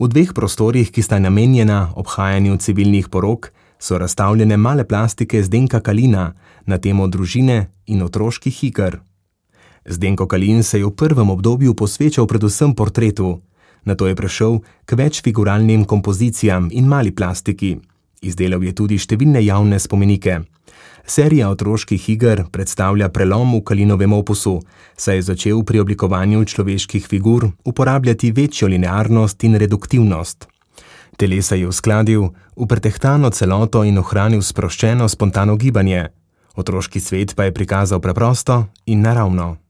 V dveh prostorih, ki sta namenjena obhajanju civilnih porok, so razstavljene male plastike Zdenka Kalina na temo družine in otroških iger. Zdenko Kalin se je v prvem obdobju posvečal predvsem portretu, nato je prešel k večfiguralnim kompozicijam in mali plastiki. Izdelal je tudi številne javne spomenike. Serija otroških iger predstavlja prelom v Kalinovem opusu, saj je začel pri oblikovanju človeških figur uporabljati večjo linearnost in reduktivnost. Telesa je uskladil v pretehtano celoto in ohranil sproščeno spontano gibanje. Otroški svet pa je prikazal preprosto in naravno.